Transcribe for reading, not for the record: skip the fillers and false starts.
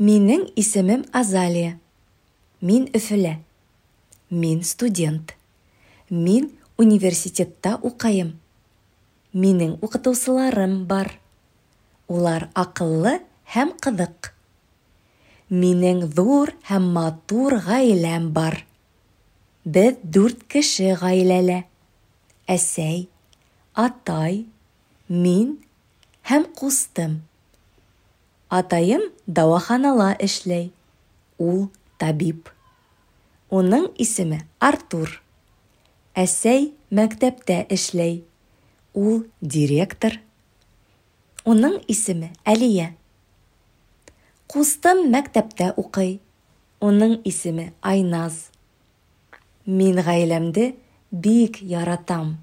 Минең исемем Азалия. Мин Өфөлә. Мин студент. Мин университетта укыйм. Минең укытучыларым бар. Улар акыллы һәм кызык. Минең зур һәм матур гаиләм бар. Без дүрт кеше гаиләлә: әсәй, атай, мин һәм кустым. Атаем дәваханала эшләй, ул табиб. Уның исеме Артур. Әсәй мәктәптә эшләй, ул директор. Уның исеме Әлия. Кустым мәктәптә укый, уның исеме Айназ. Мин гаиләмде бик яратам.